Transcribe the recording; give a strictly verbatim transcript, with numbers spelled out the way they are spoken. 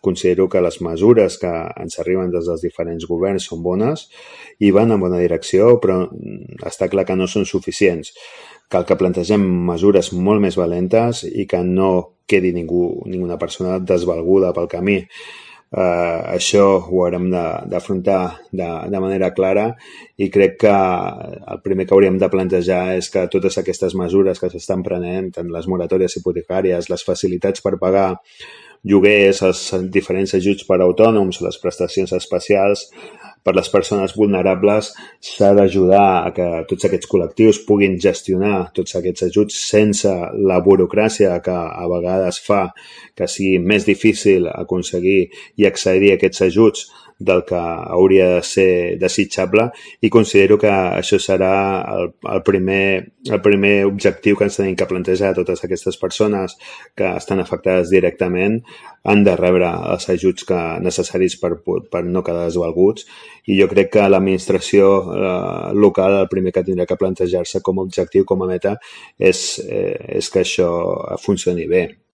considero que les mesures que ens arriben des dels diferents governs són bones i van en bona direcció, però està clar que no són suficients. Cal que plantegem mesures molt més valentes i que no quedi ningú, ninguna persona desvalguda pel camí. Uh, això ho haurem d'afrontar de, de, de manera clara i crec que el primer que hauríem de plantejar és que totes aquestes mesures que s'estan prenent, tant les moratòries hipotecàries, les facilitats per pagar lloguers, els diferents ajuts per a autònoms, les prestacions especials per les persones vulnerables, s'ha d'ajudar a que tots aquests col·lectius puguin gestionar tots aquests ajuts sense la burocràcia que a vegades fa que sigui més difícil aconseguir i accedir a aquests ajuts del que hauria de ser desitjable, i considero que això serà el, el, primer, el primer objectiu que ens tenim que plantejar. Totes aquestes persones que estan afectades directament han de rebre els ajuts que necessaris per, per no quedar desvalguts, i jo crec que l'administració eh, local el primer que tindrà que plantejar-se com a objectiu, com a meta, és, eh, és que això funcioni bé.